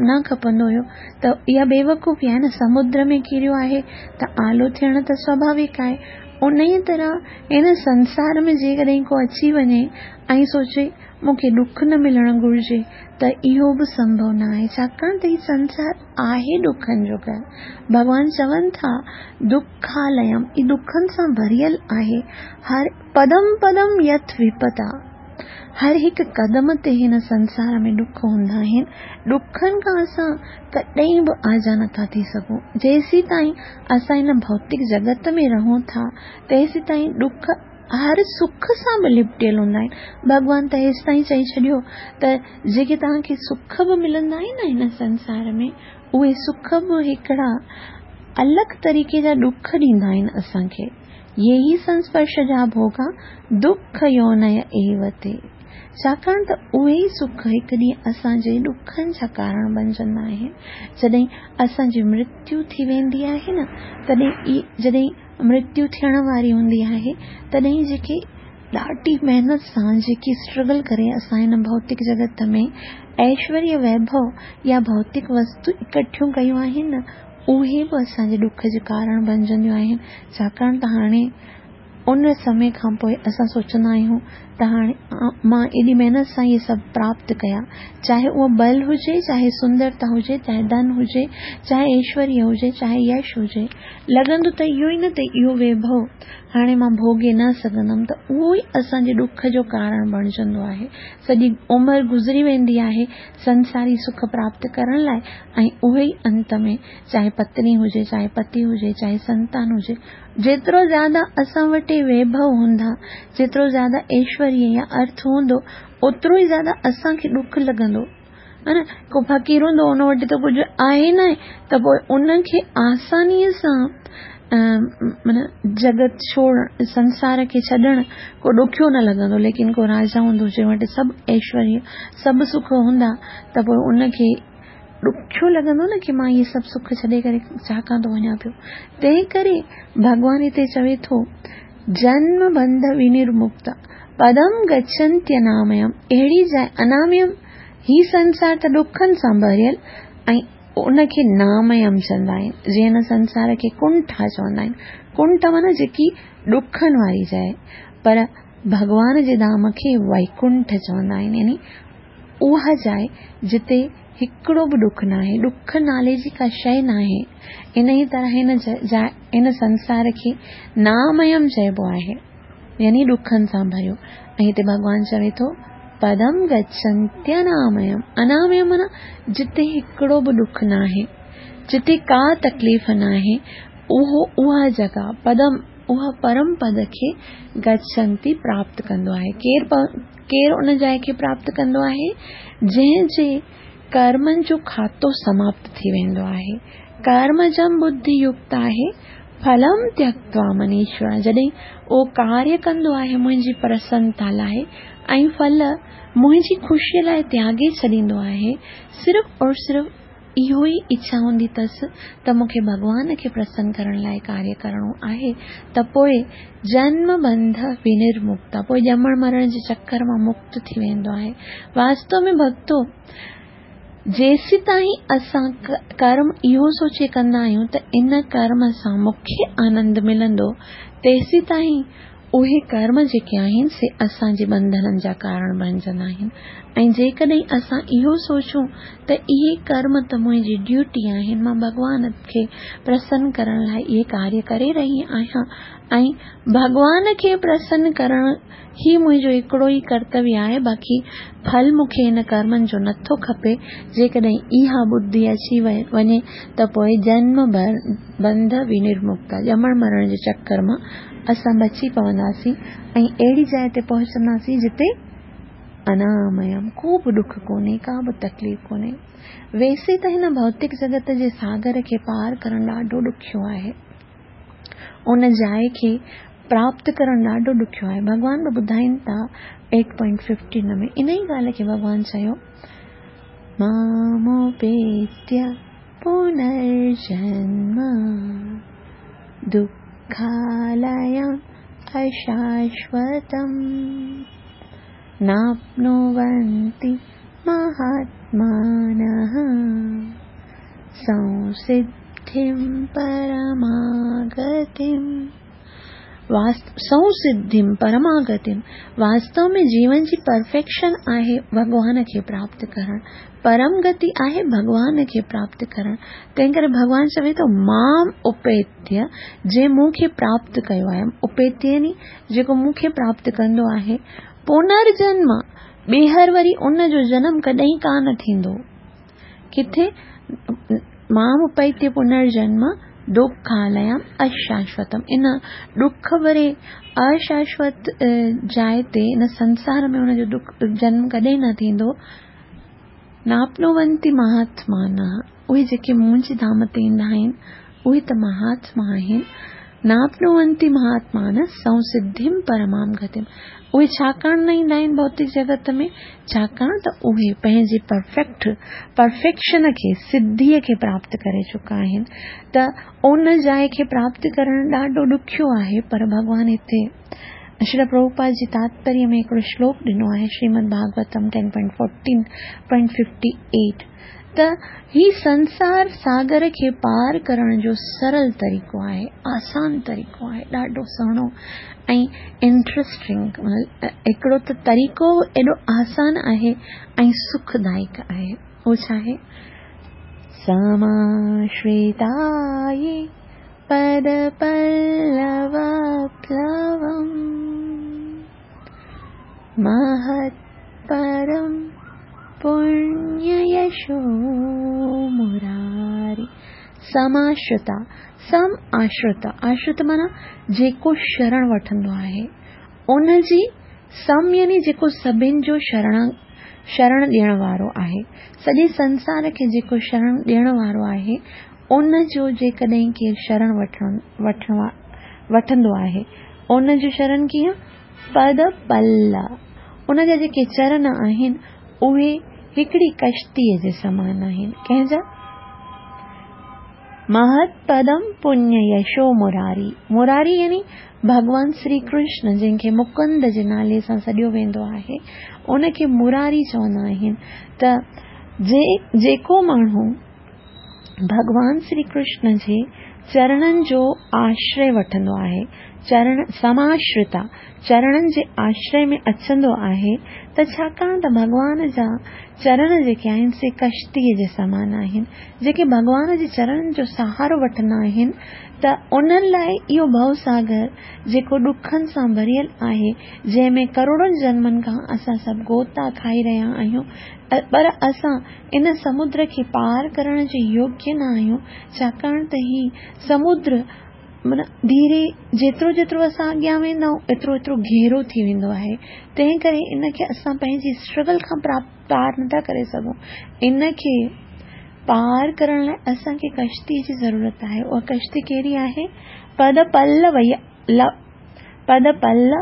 نه کپندو هيو، ته اها بيوقوفي آهي نه، سمنڊ ۾ ڪريو آهي ته آلو ٿيڻ ته سواڀاوڪ آهي. انهيء طرح هن سنسار ۾ جيڪڏهن ڪو اچي وڃي ۽ سوچي مون کي ڏک نه ملڻ گهرجي ته اهو به سنڀو نه آهي، ڇاڪاڻ ته هي سنسار آهي ڏکن جو گهر. ڀڳوان چون ٿا دکاليم، هي ڏکن سان ڀريل آهي. هر پدم پدم يٿ وپتا، هر هڪ قدم تي هن سنسار ۾ ڏک هوندا آهن. ڏکن کان اسان ڪڏهن به آجا نٿا ٿي سگهون. جيسيتائين اسان هن ڀوتڪ جڳت ۾ رهون ٿا، تيسيتائين ڏک هر سک سان به لپٽيل هوندا آهن. ڀڳوان ته هيستائين چئي ڇڏيو ته جيڪي توهان کي سک به ملندا آهن نه هن سنسار ۾ اهي سک به هڪڙا الڳ طريقي جا ڏک ڏيندا آهن اسان کي. يهي سنسپرش جا ڀوڳا دک يونئ ايو تي. ڇاڪاڻ ته اهي ئي سک هڪ ڏينهن اسان جي ڏکن جا ڪارڻ بنجندا آهن. جڏهن اسان جي مرتيو ٿي ويندي آهي نه تڏهن جڏهن مرتيو ٿيڻ واري هوندي آهي تڏهن جيڪي ڏاڍي محنت سان جيڪي اسٽرگل ڪري اسان هن ڀوتڪ جڳت ۾ ايشوريه ويڀو يا ڀوتڪ وستو اڪٺيون ڪيون آهن نه اهي به اسان جي ڏک جو ڪارڻ بنجنديون آهن ڇاڪاڻ ته هاڻي ان سمي کان پوء اسان سوچندا آهيون ته هاڻي مان ايڏي محنت سان اهي سڀ پراپت ڪيا، چاهي اهو ٻل هجي، چاهي سندرتا هجي، چاهي ڌن هجي، چاهي ايشوريه هجي، چاهي يش هجي، لڳندو ته اهو ئي نه ته اهو ويڀو هاڻي مان ڀوڳي نه سگهندم ته اهو ئي اسان جي ڏک جو ڪارڻ بڻجندو آهي. سڄي عمر گذري ويندي آهي سنساري سک پراپت ڪرڻ لاء ۽ اهي ئي انت ۾ چاهي پتني هجي، چاهي پتي هجي، چاهي سنتان هجي، جيترو زياده اسان وٽ ويڀو هوندا، جيترو زياده ايشوريه يا ارٿ هوندو، اوترو ئي زياده اسان کي ڏک لڳندو. ها نه؟ ڪو فقير هوندو ان وٽ ته ڪجهه آهي نه ته پوء ان کي آسانيء سان معنيٰ جڳت ڇوڙڻ، سنسار کي ڇڏڻ ڪو ڏکيو نه لڳندو، ليڪن ڪو راجا هوندو جنهن وٽ سڀ ايشوريه، سڀ سک هوندا ته پوء ان کي ڏکيو لڳندو نه ڪي مان اهي سڀ سک ڇڏي ڪري ڇا ڪان ٿو وڃان پيو. تنهن ڪري ڀڳوان هتي چوي ٿو، جنم بنڌ ونرمڪت پدم گڇنتيناميم، اهڙي جاء اناميم، هي سنسار ته ڏکن سان ڀريل ۽ ان کي ناميم چوندا آهن، جيئن هن سنسار کي ڪنٺا چوندا آهن، ڪنٺ معنيٰ جيڪي ڏکن واري جاء، پر ڀڳوان جي ڌام کي ويڪنٺ چوندا آهن، يعني اها جاء جتي هڪڙو به ڏک ناهي، ڏک نالي جي ڪا شيء ناهي. انهيء طرح هن جاء، هن سنسار کي ناميم چئبو آهي، يعني ڏکن سان ڀريو. ۽ هتي ڀڳوان چوي ٿو، پدم گڇنتيناميم، اناميم معنيٰ جتي هڪڙو به ڏک ناهي، جتي ڪا تڪليف ناهي، اهو اها جڳهه، پدم، اها پرم پد کي گڇنتي پراپت ڪندو آهي. ڪير ڪير ان جاء کي پراپت ڪندو آهي، جنهن جي ڪرمن جو کاتو سماپت ٿي ويندو آهي. ڪرمجم ٻڌي يڪت آهي، ڦلم تيڪتوا منيشورا، جڏهن اهو ڪاريه ڪندو آهي منهنجي پرسنتا لاء ۽ ڦل منهنجي خوشيء لاء تياڳي ڇڏيندو آهي، صرف اور صرف اهو ئي اڇا هوندي اٿس ته مون کي ڀڳوان کي پرسن ڪرڻ لاء ڪاريه ڪرڻو آهي ته پوء جنم بنڌ ونرمڪتا، پوء ڄمڻ مرڻ جي چڪر مان مڪت ٿي ويندو آهي. واستو ۾ ڀڳتو! جيسيتائين اسان ڪرم اهو سوچي ڪندا آهيون ته ان ڪرم سان مون کي آنند ملندو، تيسيتائين اهي ڪرم جيڪي آهن سي اسان جي ٻنڌنن جا ڪارڻ بڻجندا آهن ۽ جيڪڏهن اسان اهو سوچون ته اهي ڪرم ته منهنجي ڊيوٽي آهن، مان ڀڳوان کي پرسن ڪرڻ لاء اهي ڪاريه ڪري رهي آهيان ۽ ڀڳوان کي پرسن ڪرڻ هي منهنجو هڪڙو ئي ڪرتويه آهي، باقي ڦل مون کي هن ڪرمن جو نٿو کپي. جيڪڏهن اها ٻڌي اچي وڃي ته پوء جنم بنڌ ونرمڪتا، ڄمڻ مرڻ جي چڪر مان اسان بچي پونداسين ۽ اهڙي جاء تي پهچنداسين جتي اناميم، ڪو به ڏک ڪونهي، ڪا به تڪليف ڪونهي. ويسي ته هن ڀوتڪ جڳت جي ساگر کي پار ڪرڻ ڏاڍو ڏکيو آهي. ان جاء کي پراپت ڪرڻ ڏاڍو ڏکيو آهي. ڀڳوان به ٻڌائين ٿا ايٽ پوائنٽ ففٽين ۾ انهي ڳالهه کي ڀڳوان چيو ماموپيتيه پنرجنم دکاليم اشاشوتم ناپنونتي مهاتمانه سنسڌم پرماگتم سنسڌم پرماگتم واستو ۾ جيون جي پرفيڪشن آهي ڀڳوان کي پراپت ڪرڻ، پرم گتي آهي ڀڳوان کي پراپت ڪرڻ، تنهن ڪري ڀڳوان چوي ٿو مام اپيتيه جنهن مون کي پراپت ڪيو آهي، اپيتيه يعني جيڪو مون کي پراپت ڪندو آهي، پنرجنم ٻيهر وري ان جو جنم ڪڏهن ڪانه ٿيندو. ڪٿي مام اپيتيه پنرجنم دکاليم اشاشوتم ان ڏک ڀري اشاشوت جاء تي ان سنسار ۾ ان جو ڏک جنم ڪڏهن نه ٿيندو. ناپنونتي مهاتمانه اهي جيڪي منهنجي ڌام تي ايندا آهن اهي ته مهاتما آهن. ناپنونتي مهاتمانه سنسڌم پرمام گتم اهي ڇاڪاڻ نه ايندا آهن ڀوتڪ جڳت ۾ ڇاڪاڻ ته اهي پنهنجي پرفيڪٽ پرفيڪشن کي سڌيء کي پراپت ڪري چڪا آهن ته ان جاء کي پراپت ڪرڻ ڏاڍو ڏکيو آهي پر ڀڳوان هتي شريل پرڀوپاد جي تاتپريه ۾ هڪڙو شلوڪ ڏنو آهي شريمد ڀاڳوتم 10.14.58 ته هي سنسار ساگر کي پار ڪرڻ جو سرل طريقو آهي، آسان طريقو آهي، ڏاڍو سهڻو ۽ انٽرسٽنگ هڪڙو ته طريقو ايڏو آسان آهي ۽ سکدائڪ آهي. اهو ڇا آهي؟ سماشريتا يي پد پلو پلوم مهت پرم پڻيه يشو مراري سماشرتا سم آشرتا آشرت معنيٰ جيڪو شرڻ وٺندو آهي ان جي سم يعني جيڪو سڀن جو شرڻ شرڻ ڏيڻ وارو آهي سڄي سنسار کي جيڪو شرڻ ڏيڻ وارو آهي ان جو جيڪڏهن ڪير شرڻ وٺڻ وٺڻ وٺندو آهي ان جو شرڻ ڪيئن پد پل، ان جا جيڪي چرن آهن، اهي هڪڙي ڪشتيء جي سمان آهن. ڪنهن جا؟ مهت پدم پڃ يشو مراري، مراري يعني ڀڳوان سري ڪرشن جنهن کي مڪند جي نالي سان سڏيو ويندو آهي، ان کي مراري چوندا آهن ته جيڪو ماڻهو ڀڳوان سري ڪرشن جي چرڻن جو آشري وٺندو آهي، چرڻ سماشرتا، چرڻن جي آشري ۾ اچندو آهي ته ڇاڪاڻ ته ڀڳوان جا چرڻ جيڪي آهن سي ڪشتيء جي سمان آهن، جيڪي ڀڳوان جي چرڻن جو سهارو وٺندا آهن ته انهن لاء اهو ڀوساگر جيڪو ڏکن سان ڀريل آهي، جنهن ۾ ڪروڙن جنمن کان اسان سڀ غوطا کائي رهيا آهيون، پر اسان ان سمنڊ کي پار ڪرڻ جي يوگيه نه آهيون، ڇاڪاڻ ته هي سمنڊ معنيٰ ڌيري جيترو جيترو اسان اڳيان ويندا آهيون ايترو ايترو گهرو ٿي ويندو آهي، تنهن ڪري ان کي اسان پنهنجي اسٽرگل کان پار نٿا ڪري سگهون. ان کي پار ڪرڻ لاء اسان کي ڪشتي جي ضرورت آهي. اها ڪشتي ڪهڙي آهي؟ پد پلو پد پلو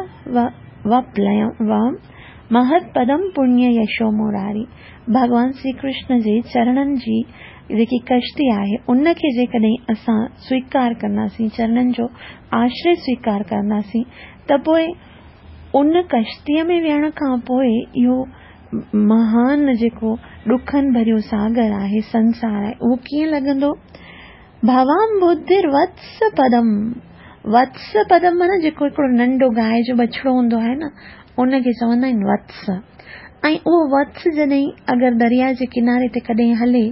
مهت پدم پڻيه يشو مراري. ڀڳوان شري ڪرشن جي چرڻن جي جيڪي ڪشتي آهي، ان کي جيڪڏهن اسان سويڪار ڪنداسين، چرڻن جو آشري سويڪار ڪنداسين، ته پوء ان ڪشتيء ۾ ويهڻ کان پوء اهو مهان جيڪو ڏکن ڀريو ساگر آهي، سنسار آهي، اهو ڪيئن لڳندو؟ ڀوام ٻڌر وتس پدم، وتس پدم معنيٰ جيڪو هڪڙو ننڍو گانء جو بڇڙو هوندو آهي نه، ان کي چوندا آهن وتس. ۽ اهو وتس جڏهن اگر درياء جي ڪناري تي ڪڏهن هلي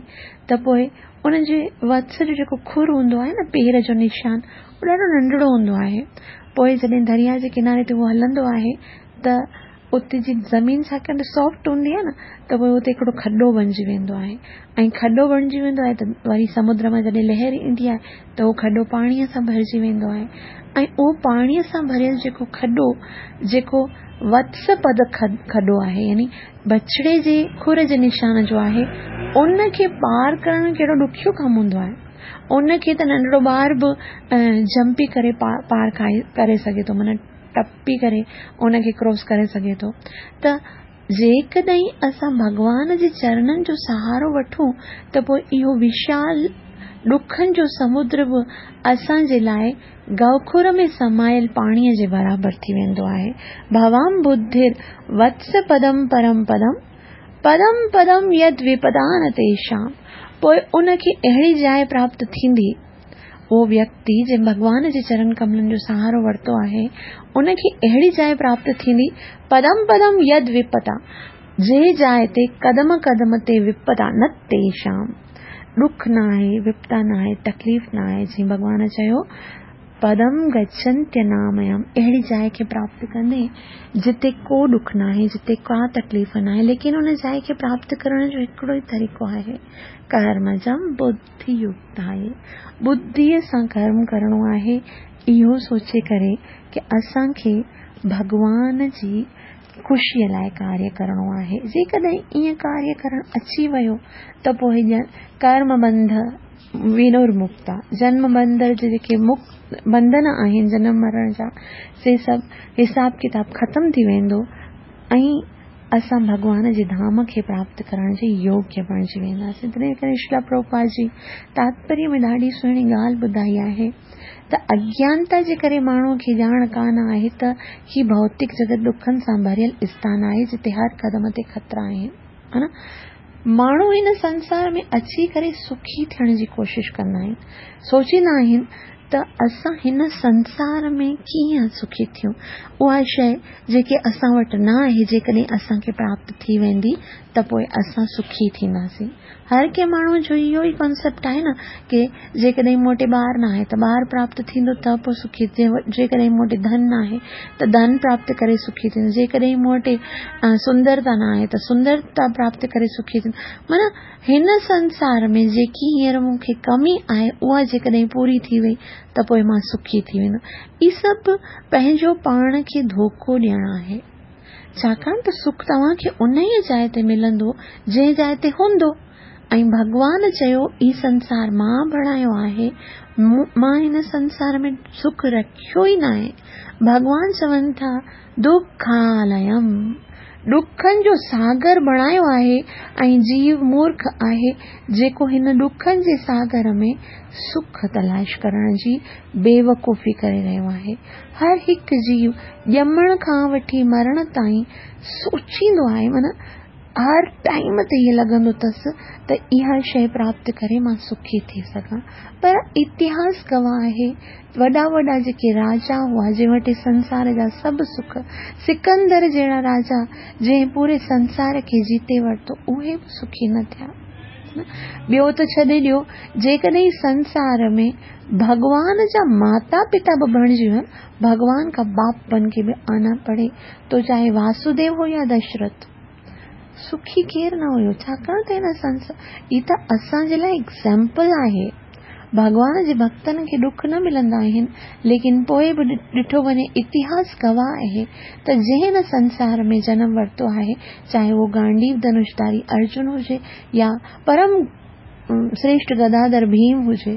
ته پوء ان جي وتس جو جيڪو کر هوندو آهي نه، پير جو نشان، اهو ڏاڍو ننڍڙو هوندو آهي. پوء جڏهن درياء جي ڪناري تي اهو هلندو آهي ته اتي جي زمين ڇاڪاڻ ته سافٽ هوندي آهي نه ته پوء اتي هڪڙو کڏو بڻجي ويندو آهي ۽ کڏو بڻجي ويندو آهي ته وري سمنڊ مان جڏهن لهر ايندي آهي ته اهو کڏو پاڻيء سان ڀرجي ويندو آهي ۽ اهو پاڻيء سان ڀريل جيڪو کڏو جيڪو وتس پد کڏو آهي يعني بڇڙي جي کر جي نشان جو آهي ان کي پار ڪرڻ ڪهڙو ڏکيو ڪم هوندو آهي ان کي ته ننڍڙو ٻار به جمپي ڪري پار ڪري سگهي ٿو معنيٰ ٽپي ڪري ان کي ڪراس ڪري سگهي ٿو ته جيڪڏهن اسان ڀڳوان جي چرڻن جو سهارو وٺون ته پوء اهو وشال ڏکن جو سمنڊ به اسان جي لاء گئوکر ۾ سمايل پاڻيء جي برابر ٿي ويندو آهي. ڀوام ٻڌر وتس پدم پرم پدم، پدم پدم يد وپدا نه تيشام. پوء ان کي اهڙي جاء پراپت ٿيندي. اهو ويڪتي جنهن ڀڳوان جي چرن ڪملن جو سهارو ورتو آهي، ان کي اهڙي جاء پراپت ٿيندي، پدم پدم يد وپتا، جنهن جاء تي قدم قدم تي وپتا نه تيشام، ڏک نه آهي، وپتا نه آهي، تڪليف نه آهي، جيئن ڀڳوان چيو، پدم گڇنتيناميم، اهڙي جاء کي پراپت ڪندي، جتي ڪو ڏک ناهي، جتي ڪا تڪليف ناهي، ليڪن ان جاء کي پراپت ڪرڻ جو هڪڙو ئي طريقو آهي، ڪرمجم ٻڌ. ٻڌي يڪت آهي. ٻڌيء سان ڪرم ڪرڻو آهي، اهو سوچي ڪري ڪه اسان کي ڀڳوان جي خوشيء لاء ڪاريه ڪرڻو آهي. جيڪڏهن ائين ڪاريه ڪرڻ اچي ويو ته پوء ڄڻ ڪرم ٻنڌ ونرمڪتا، جنم ٻنڌ جا جيڪي بنڌن آهن جنم مرڻ جا، سي سڀ حساب ڪتاب ختم ٿي ويندو ۽ اسان ڀڳوان جي ڌام کي پراپت ڪرڻ جي يوگيه بڻجي وينداسين. تنهن ڪري شريلا پرڀوپاد جي تاتپريه ۾ ڏاڍي سهڻي ڳالهه ٻڌائي آهي ته اگيانتا جي ڪري ماڻهوء کي ڄاڻ ڪانه آهي ته هي ڀوتڪ جڳت ڏکن سان ڀريل اسٿان آهي جتي هر قدم تي خطرا آهن. ماڻهو هن سنسار ۾ اچي ڪري سکي ٿيڻ جي ڪوشش ڪندا آهن. سوچيندا آهن ته اسان هن سنسار ۾ ڪيئن سکي ٿيون؟ اها شيء جيڪي اسان وٽ نه آهي، جيڪڏهن اسان کي پراپت ٿي ويندي ته پوء اسان سکي ٿينداسين. هر ڪنهن ماڻهوء جو اهو ئي ڪانسيپٽ آهي نه ڪي جيڪڏهن مون وٽ ٻار نه آهي ته ٻار پراپت ٿيندو ته پوء سکي جيڪڏهن مون وٽ ڌن نه آهي ته ڌن پراپت ڪري سکي ٿيندس، جيڪڏهن مون وٽ سندرتا نه آهي ته سندرتا پراپت ڪري سکي ٿيندس. معنيٰ هن سنسار ۾ جيڪي هينئر مون کي ڪمي آهي، اها جيڪڏهن پوري ٿي وئي ته پوء مان سکي ٿي ويندس. هي سڀ پنهنجو پاڻ کي ڌوڪو ڏيڻ آهي. ڇاڪاڻ ته سک توهان کي انهيء جاء تي ملندو، جنهن جاء تي هوندو. ۽ ڀڳوان چيو، هي سنسار مان بڻايو آهي، مان هن سنسار ۾ سک رکيو ئي ناهي. ڀڳوان چون ٿا، دکاليم، ڏکن جو ساگر بڻايو آهي ۽ جيو مورک آهي جيڪو هن ڏکن جي ساگر ۾ سک تلاش ڪرڻ جي بيوقوفي ڪري رهيو آهي. هر هڪ جيو ڄمڻ کان وٺي مرڻ تائين سوچيندو آهي معنيٰ هر ٽائيم تي ائين لڳندو اٿس ته اها شيء پراپت ڪري مان سکي ٿي سگهان پر اتهاس گواهه آهي وڏا وڏا جيڪي راجا هئا جن وٽ سنسار جا سڀ سک سڪندر جهڙا راجا جنهن پوري سنسار کي جيتي ورتو اهي به سکي نه ٿيا ٻيو ته ڇڏي ڏيو جيڪڏهن سنسار ۾ ڀڳوان جا ماتا پتا به بڻجي وڃن ڀڳوان کا باپ بن ڪي به آنا پڙي تو چاهي واسوديو هو يا دشرٿ سکي ڪير نه هيو ڇاڪاڻ ته هن سنسار هي ته اسان جي لاء ايگزامپل آهي ڀڳوان جي ڀڳتن کي ڏک نه ملندا آهن ليڪن پوء به ڏٺو وڃي اتهاس گواهه آهي ته جنهن هن سنسار ۾ جنم ورتو آهي چاهي اهو گانڊيو ڌنوشڌاري ارجن هجي يا پرم شريشٽ گداڌر ڀيم هجي.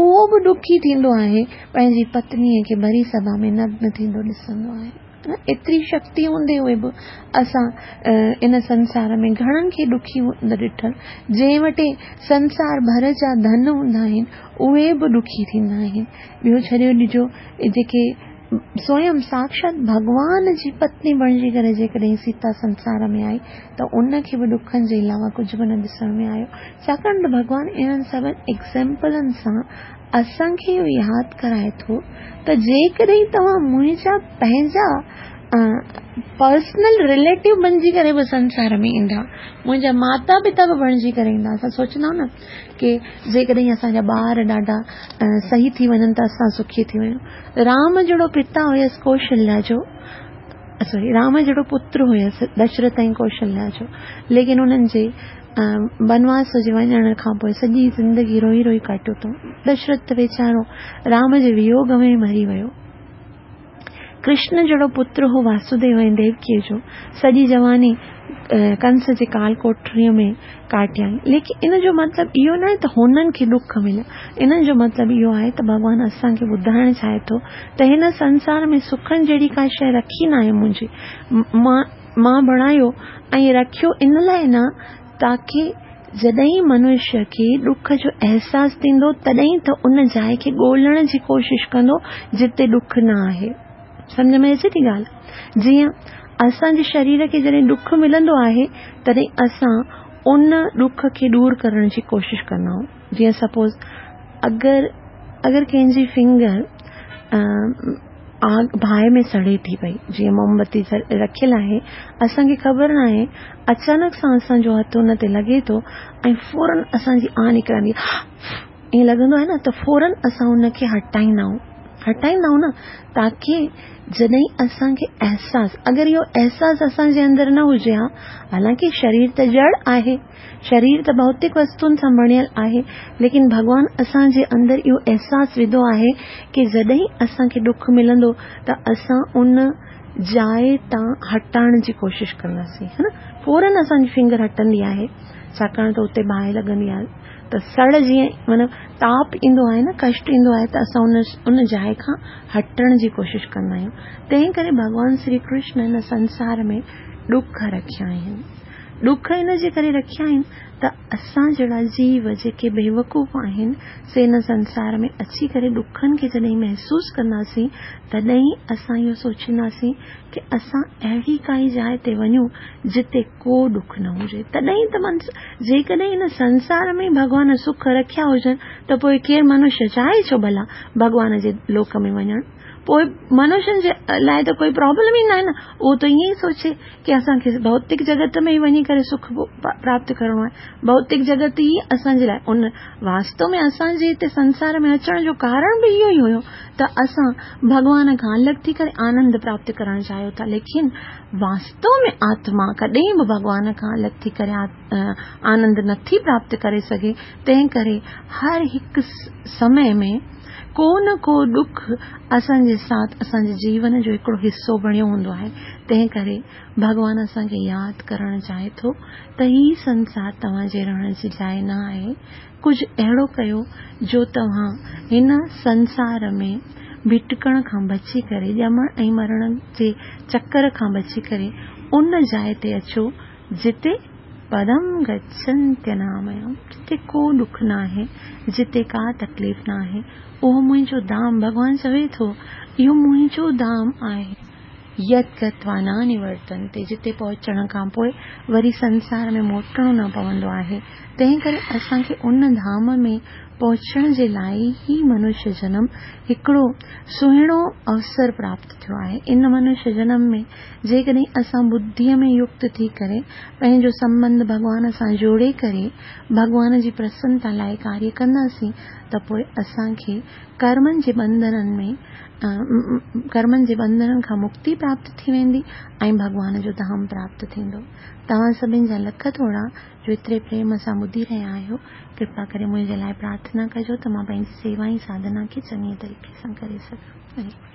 اهو به ڏکي ٿيندو آهي، پنهنجي پتنيء کي ڀري سڀا ۾ نگن ٿيندو ڏسندو آهي. ايتري شڪتي هوندي هوئي به اسان ان سنسار ۾ گهڻن کي ڏکي هوندي ڏٺل، جنهن وٽ سنسار ڀر جا ڌن هوندا آهن، اهي به ڏکي ٿيندا آهن. ٻيو ڇڏيو ڏجو، جيڪي سويم ساڪشات ڀڳوان جي پتني بڻجي ڪري جيڪڏهن سيتا سنسار ۾ آئي ته ان کي به ڏکن جي علاوه ڪجهه به نه ڏسڻ ۾ آيو. ڇاڪاڻ ته ڀڳوان انهن سڀن ايگزيمپلن سان اسان کي اهو ياد ڪرائي ٿو ته جيڪڏهن توهان منهنجا پنهنجا پرسنل رليٽو بڻجي ڪري به سنسار ۾ ايندا، منهنجا ماتا پتا به بڻجي ڪري ايندا، اسان سوچندا آهيون نه ڪي جيڪڏهن اسان جا ٻار ڏاڍا صحيح ٿي وڃن ته اسان سکي ٿي وڃون. رام جهڙو پتا هيس ڪوشليا جو، سوري رام جهڙو پتر هيس دشرٿ ۽ ڪوشليا جو، ليڪن انهن جي بنواس جي وڃڻ کان پوء سڄي زندگي روئي روئي ڪاٽيو اٿئون. دشرٿ ته ويچارو رام جي ويوڳ ۾ ئي مري ويو. ڪرشن جهڙو پتر هو واسوديو ۽ ديوڪيء جو، سڄي جواني ڪنس جي ڪال ڪوٺڙيء ۾ ڪاٽيائين. ليڪن ان جو مطلب اهو ناهي ته هنن کي ڏک مليا. ان جو مطلب اهو آهي ته ڀڳوان اسان کي ٻڌائڻ چاهي ٿو ته هن سنسار ۾ سکن جهڙي ڪا شيء رکي ناهي منهنجي. مان بڻايو ۽ رکيو ان لاء نه تاڪه جڏهن منشيه کي ڏک جو احساس ٿيندو تڏهن ته ان جاء کي ڳولڻ جي ڪوشش ڪندو جتي ڏک نه آهي. سمجهه ۾ اچي ٿي ڳالهه؟ جيئن اسان جي شرير کي جڏهن ڏک ملندو آهي تڏهن اسان ان ڏک کي ڏور ڪرڻ جي ڪوشش ڪندا آهيون. جيئن سپوز اگر اگر ڪنهن جي فنگر آگ باهه ۾ سڙي ٿي پئي، جيئن موم بتي رکيل آهي، اسان کي خبر ناهي، اچانڪ سان اسان جو هٿ ان تي لڳي ٿو ۽ فورن اسان جي آه نڪرندي آهي، ائين لڳندو آهي نه ته فورن اسان ان کي هٽائيندا آهيون، هٽائيندا آهيون نه تاڪي جڏهن اسان کي احساس، اگر اهو احساس اسان جي اندر نه هجي ها، حالانڪه شرير ته جڙ آهي، شرير ته ڀوتڪ وستن سان بڻيل آهي، ليڪن ڀڳوان اسان جي اندر اهو احساس وڌو آهي ڪي جڏهن اسان کي ڏک ملندو ته اسان ان جاء تان هٽائڻ جي ڪوشش ڪنداسين ها نه فورن اسان جي فنگر هٽندي آهي ڇاڪاڻ ته اتي باهه لڳندي آهي ته سڙ جيئن معنيٰ تاپ ايندو آهي نه ڪشٽ ايندو آهي ته اسان ان جاء کان هٽڻ جي ڪوشش ڪندا آهيون تنهن ڪري ڀڳوان شري ڪرشن هن سنسار ۾ ڏک رکيا آهن. ڏک ان جي ڪري رکيا آهن ته اسان جهڙا جيو جيڪي بيوقوف آهن سي هن سنسار ۾ اچي ڪري ڏکن کي جڏهن محسوس ڪنداسين تڏهن اسان اهو سوچينداسين ڪي اسان اهڙي ڪائي جاء تي وڃون جتي ڪو ڏک نه هجي تڏهن ته جيڪڏهن هن سنسار ۾ ڀڳوان سک رکيا هجن ته پوء ڪير منشيه چاهي ڇو ڀلا ڀڳوان جي لوڪ ۾ وڃڻ پوء منشين جي لاء ته ڪوئي پرابلم ئي ناهي نه اهو ته ائين ئي سوچي ڪي اسان کي ڀوتڪ جڳت ۾ ئي وڃي ڪري سک پراپت ڪرڻو آهي ڀوتڪ جڳت ئي اسان جي لاء ان واستو ۾ اسان جي هتي سنسار ۾ اچڻ جو ڪارڻ به اهو ئي هيو ته اسان ڀڳوان کان الڳ ٿي ڪري آنند پراپت ڪرڻ چاهيو ٿا ليڪن واستو ۾ آتما ڪڏهن به ڀڳوان کان الڳ ٿي ڪري آنند نٿي پراپت ڪري سگهي تنهن ڪري هر هڪ سمي ۾ ڪو نه ڪو ڏک اسان جي ساٿ اسان جي جيون جو هڪڙو حصو بڻيو هوندو آهي، تنهن ڪري ڀڳوان اسان کي ياد ڪرڻ چاهي ٿو ته هي سنسار توهان جي رهڻ جي جاء نه آهي، ڪجهه اهڙو ڪيو جو توهان هن سنسار ۾ ڀٽڪڻ کان بچي ڪري، ڄمڻ ۽ مرڻ جي چڪر کان بچي ڪري ان جاء تي اچو جتي پدم گڇنتيناميم، جتي ڪو ڏک ناهي، جتي ڪا تڪليف ناهي، اهو منهنجو ڌام، ڀڳوان چوي ٿو، اهو منهنجو ڌام آهي. يت گتوا نه نورتنتي، جتي پهچڻ کان پوء وري سنسار ۾ موٽڻو نه پوندو آهي، تنهن ڪري اسان کي ان ڌام ۾ پهچڻ جي لاء هي منشيه جنم هڪڙو سهڻو اوسر پراپت ٿيو آهي. ان منشيه جنم ۾ جيڪڏهن اسان ٻڌيء ۾ يڪت ٿي ڪري پنهنجو سنٻنڌ ڀڳوان سان جوڙي ڪري ڀڳوان جي پرسنتا لاء ڪاريه ڪنداسين ته پوء اسان کي ڪرمن جي ٻنڌنن ۾ ڪرمن جي ٻنڌنن کان مڪتي پراپت ٿي ويندي ۽ ڀڳوان جو ڌام پراپت ٿيندو. توهان سڀن جا لک ٿورا جو ايتري پريم سان ٻڌي رهيا آهيو. ڪرپا ڪري منهنجي لاء پرارٿنا ڪجو ته مان پنهنجي سيوا ۽ ساڌنا کي چڱي طريقي سان ڪري سگهان.